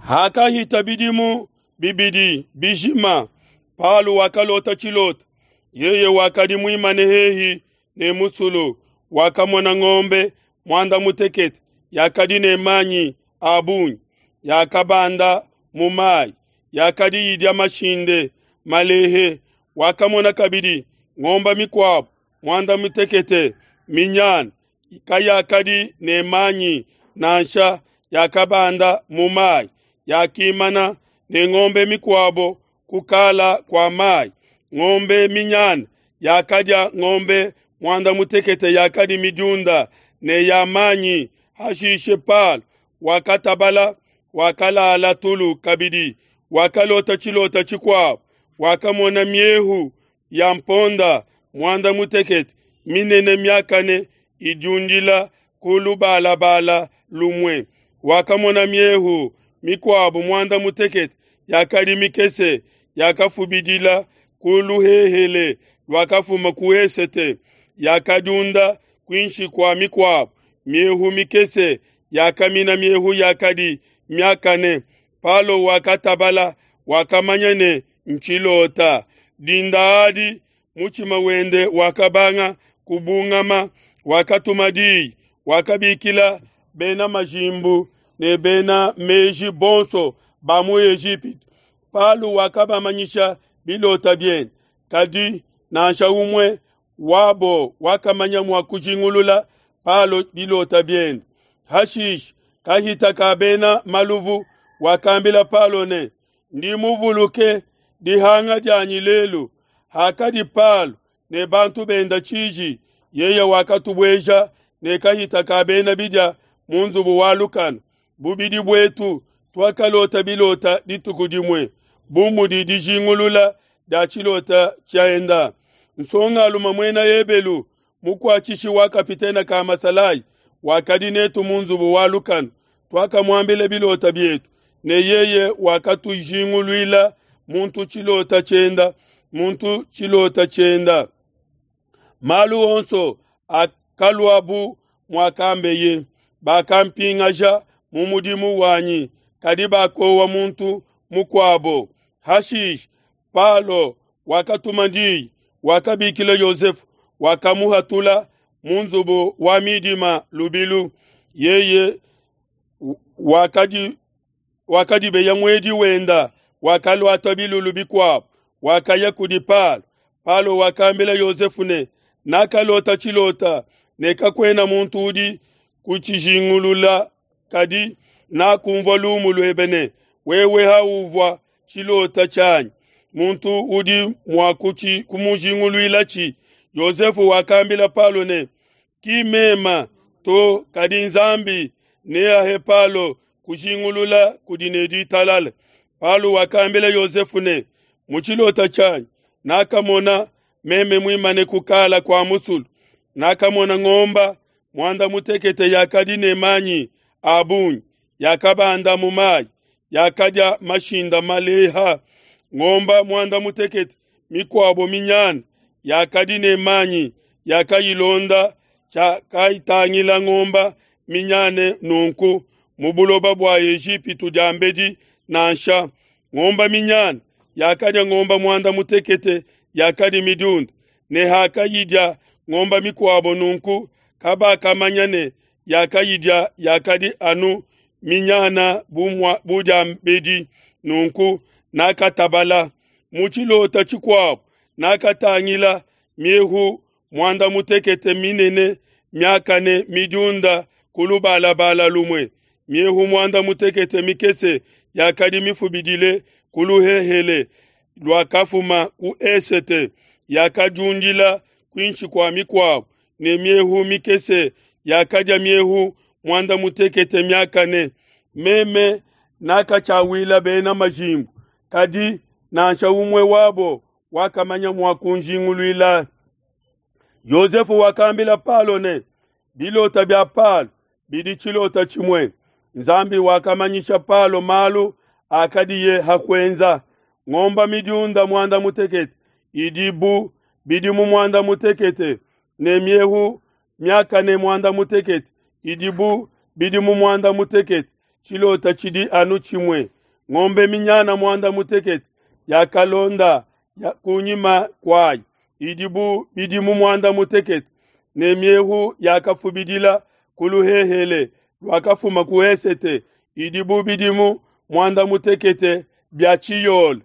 Hakahita bidimu bibidi bijima, Palo wakalota tshilota. Yeye wakadi muimane hehi ne musulu, wakamona ngombe muanda mutekete yakadi ne manyi a bungi, yakabanda mu mai, yakadi idia mashinde malehe. Wakamona kabidi ngombe mikuabo muanda mutekete minyane, kayakadi ne manyi nansha, yakabanda mu mai, yakimana ne ngombe mikuabo kukala kua mai. Ngombe minyane yakadia ngombe muanda mutekete yakadi midiunda ne ya manyi. Hashishe Palo wakatabala, wakalala tulu kabidi, wakalota tshilota tshikuabo, wakamona miehu ya mponda muanda mutekete minene miakane idiundila ku lubalabala lumue. Wakamona miehu mikuabo muanda mutekete yakadi mikese yakafubidila ku luhehele luakafuma ku esete, yakadiunda kuinshi kua mikuabo. Miehu mikese yakamina miehu yakadi miakane. Palo wakatabala, wakamanya ne ntshilota. Dinda adi mutshima wende wakabanga kubungama, wakatuma diyi, wakabikila bena majimbu ne bena meji bonso ba mu Ejipitu. Palo wakabamanyisha bilota biende, kadi nansha umue wabo wakamanya mua kujingulula Palo bilota biende. Hashishe kahita ka bena maluvu wakambila Palo ne, ndi muvuluke dihanga dianyi lelu. Hakadi Palo ne bantu benda tshiji, yeye wakatubueja ne kahita ka bena bidia mu nzubu wa lukanu. Bubidi buetu tuakalota bilota dituku dimue, bu mudi dijingulula dia tshilota tshienda. Nsongalume muena Ebelu, mukuatshishi wa kapitene ka masalayi, wakadi netu mu nzubu wa lukanu. Tuakamuambila bilota bietu, ne yeye wakatujinguluila muntu tshilota tshienda, muntu tshilota tshienda. Malu onso akalua bu muakambeye. Bakampingaja mu mudimu wanyi, kadi bakowa muntu mukuabo. Hashishe Palo wakatuma diyi, wakabikila Yosefu, wakamuhatula mu nzubu wa midima lubilu. Yeye wakadibeya muedi wenda, wakaluata bilulu bikuabo, wakaya kudi Palo. Palo wakambila Yosefu ne, nakalota tshilota ne kakuena muntu udi kutshijingulula, kadi nakumvua lumu luebe ne wewe hauvua tshilota tshianyi, muntu udi mua kumujinguluilatshi. Yosefu wakambila Palo ne, ki mema to, kadi Nzambi neahe Palo kujingulula kudi ne ditalala. Palo wakambila Yosefu ne, mu tshilota tshianyi nakamona meme muimane kukala kua musulu, nakamona ngomba muanda mutekete yakadi ne manyi a bungi, yakabanda mu mayi, yakadia mashinda maleha. Ngomba muanda mutekete mikuabo minyane yakadi ne manyi yakayilonda, tshiakayitangila ngomba minyane nunku mu buloba bua Ejipitu diambedi nansha. Ngomba minyane yakadia ngomba muanda mutekete yakadi midiunda, ne hakayidia ngomba mikuabo nunku kabakamanya ne yakayidia yakadi anu minyana bu diambedi. Nunku nakatabala mu tshilota tshikuabo, nakatangila miehu muanda mutekete minene miakane midiunda ku lubalabala lumue, miehu muanda mutekete mikese yakadi mifubidile ku luhehele luakafuma ku esete, yakadiundila kuinshi kua mikuabo, ne miehu mikese yakadia miehu muanda mutekete miakane. Meme nakatshiawila bena majimbu, kadi nansha umue wabo wakamanya mua kunjinguluila. Yosefu wakambila Palo ne, bilota bia Palo bidi tshilota tshimue. Nzambi wakamanyisha Palo malu akadiye hakuenza. Ngomba midiunda muanda mutekete idi bu bidimu muanda mutekete, ne miehu miakane muanda mutekete idi bu bidimu muanda mutekete. Tshilota tshidi anu tshimue. Ngombe minyana muanda mutekete yakalonda ya kunyima kuayi idi bu bidimu muanda mutekete, ne miehu yakafubidila ku luhehele luakafuma ku esete idi bu bidimu muanda mutekete bia tshiyole.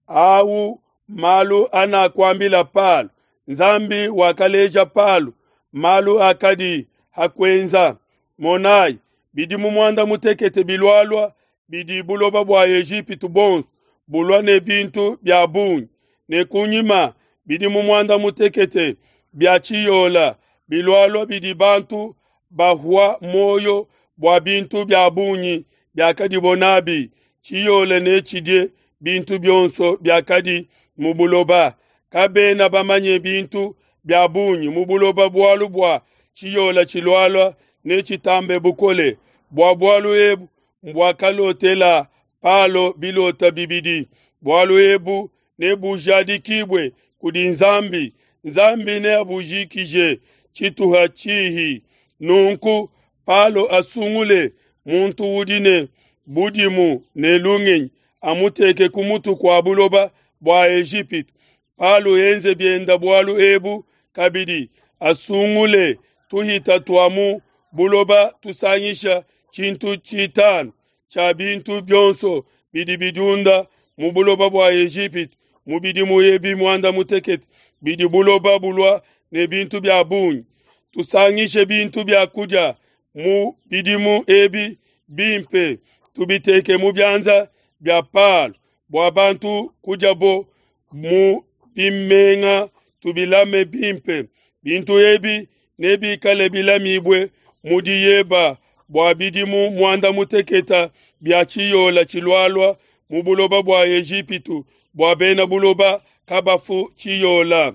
Au malu anakuambila Palo. Nzambi wakaleja Palo malu akadi hakuenza. Monai, bidimu muanda mutekete bilualua bidi buloba bua Ejipitu bonso bulua ne bintu bia bungi, ne kunyima bidimu muanda mutekete bia tshiyola bilualua bidi bantu bahua muoyo bua bintu bia bungi biakadibo nabi. Tshiyola netshidie bintu bionso biakadi mu buloba. Kabena bamanye bintu bia bungi mu buloba bualu bua tshiyola tshilualua netshitambe bukole. Bua bualu ebu mbuakalotela Palo bilota bibidi. Bualu ebu nebujadikibue kudi Nzambi. Nzambi neabujikije tshituha tshihi. Nunku Palo asungule muntu udi ne budimu ne lungenyi, amuteke ku mutu kua buloba bua Ejipitu. Palo enze bienda bualu ebu kabidi, asungule tuhita tua mu buloba tusangisha tshintu tshitanu tshia bintu bionso bidi bidiunda mu buloba bua Ejipitu mu bidimu ebi muanda mutekete bidi buloba bulua ne bintu bia bungi. Tusangishe bintu bia kudia mu bidimu ebi bimpe, tubiteke mu bianza bia Palo bua bantu kudiabo mu bimenga, tubilame bimpe. Bintu ebi nebikale bilamibue mu diyeba bua bidimu muanda mutekete bia tshiyola tshilualua mu buloba bua Ejipitu, bua bena buloba kabafu tshiyola.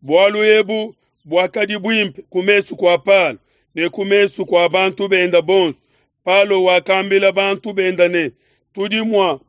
Bualu ebu buakadi buimpe ku mesu kua Palo ne ku mesu kua bantu benda bonso. Palo wakambila bantu benda ne, tudi mua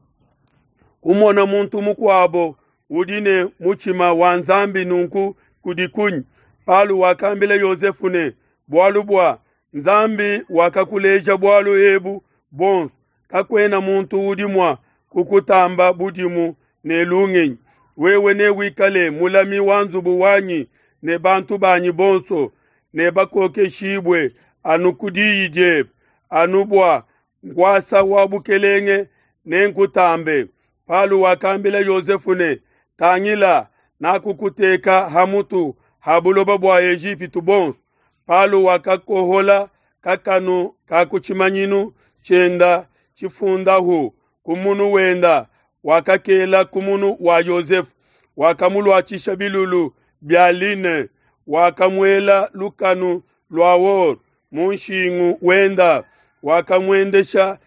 kumona muntu mukuabo udi ne mutshima wa Nzambi nunku kudi kunyi? Palo wakambila Yosefu ne, bualu bua Nzambi wakakuleja bualu ebu buonso, kakuena muntu udi mua kukutamba budimu ne lungenyi. Wewe newikale mulami wa nzubu wanyi, ne bantu banyi bonso nebakokeshibue anu ku diyi diebe, anu bua nkuasa wa bukelenge nenkutambe. Palo wakambila Yosefu ne, tangila, nakukuteka ha mutu ha buloba bua Ejipitu bonso. Palo wakakohola kakanu ka ku tshimanyinu tshienda tshifundahu ku munu wenda, wakakela ku munu wa Yosefu, wakamuluatshisha bilulu bia line, wakamuela lukanu lua or mu nshingu wenda, wakamuendesha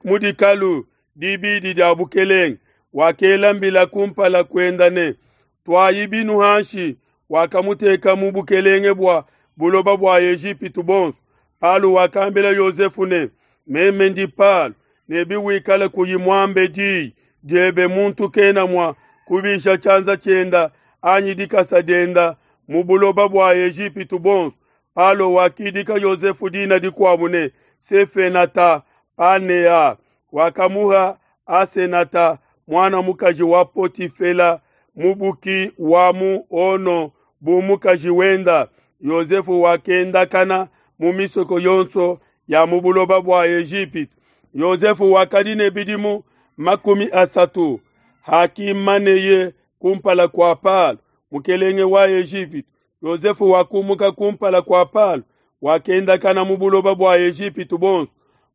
mu dikalu dibidi dia bukelenge. Wakela mbila kumpala kuenda ne, tuayi binu hanshi. Wakamuteka mu bukelenge bua buloba bua Ejipitu bonso. Palo wakambila Yosefu ne, meme ndi Palo, ne biwikala kuyi muambe diyi diebe, muntu kena mua kubisha tshianza tshienda anyi dikasa dienda mu buloba bua Ejipitu bonso. Palo wakidika Yosefu dina dikuabu ne Sefenata Panea. Wakamuha Asenata mwana mukaji wa Potifela mubuki wa mu Ono bu mukaji wenda. Yosefu wakendakana mu misoko yonso ya mu buloba bua Ejipitu. Yosefu wakadi ne bidimu 30 hakimaneye kumpala kua Palo mukelenge wa Ejipitu. Yosefu wakumuka kumpala kua Palo, wakendakana mu buloba bua Ejipitu bonso.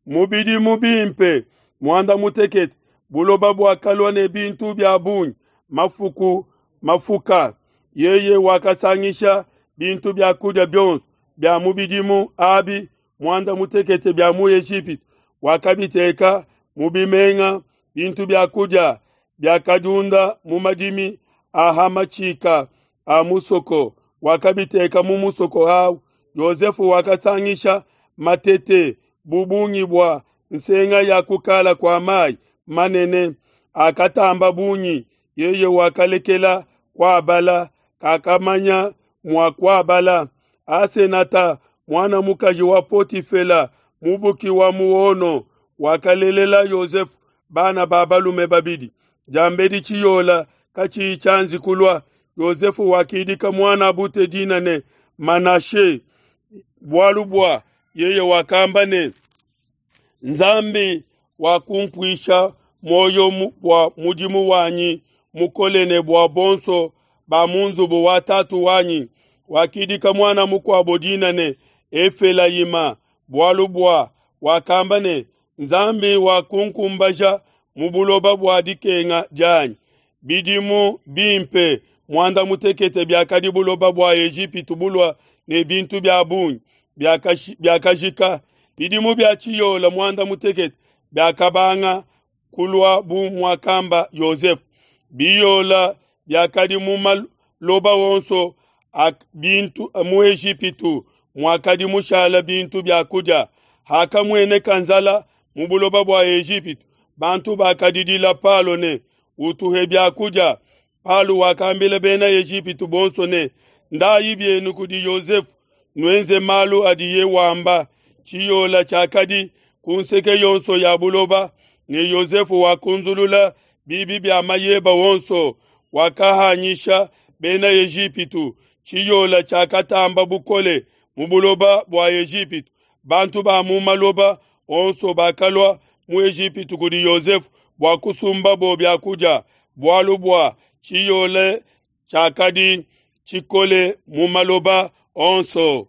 Mu bidimu bimpe muanda mutekete buloba buakalua ne bintu bia bungi mafuku mafuka. Yeye wakasangisha bintu bia kudia bionso bia mu bidimu abi muanda mutekete bia mu Ejipitu, wakabiteka mu bimenga. Bintu bia kudia biakadiunda mu madimi a hamatshika a musoko, wakabiteka mu musoko awu. Yosefu wakasangisha matete bu bungi bua nsenga ya kukala kua mayi manene, akatamba bungi. Yeye wakalekela kuabala, kakamanya mua kuabala. Asenata mwana mukaji wa Potifela mubuki wa mu Ono wakalelela Yosefu bana ba balume babidi. Diambedi tshiyola katshiyi tshianji kulua, Yosefe wakidika muanabute dina ne, Manashe, bualu bua yeye wakamba ne, Nzambi wakumpuisha muoyo bua mudimu wanyi mukole ne bua bonso ba mu nzubu wa tatu wanyi. Wakidika muana mukuabo dina ne, Efelayima, bualu bua wakamba ne, Nzambi wakunkumbaja mu buloba bua dikenga dianyi. Bidimu bimpe muanda mutekete biakadi buloba bua Ejipitu bulua ne bintu bia bungi biakajika. Bidimu bia tshiyola muanda mutekete biakabanga kulua bu muakamba Yosefe. Biyola biakadi mu maloba onso a bintu mu Ejipitu muakadi mushala bintu bia kudia. Hakamueneka nzala mu buloba bua Ejipitu, bantu bakadidila Palo ne, Utuhe bia kudia. Palo wakambila bena Ejipitu bonso ne, Ndayi bienu kudi Yosefe, nuenze malu adiye wamba. Tshiyola tshiakadi ku nseke yonso ya buloba, ne Yosefe wakunzulula bibi bia mayeba onso, wakahanyisha bena Ejipitu. Tshiyola tshiakatamba bukole mu buloba bua Ejipitu. Bantu ba mu maloba onso bakalua mu Ejipitu kudi Yosefe bua kusumbabo bia kudia, bualu bua tshiyola tshiakadi tshikole mu maloba onso.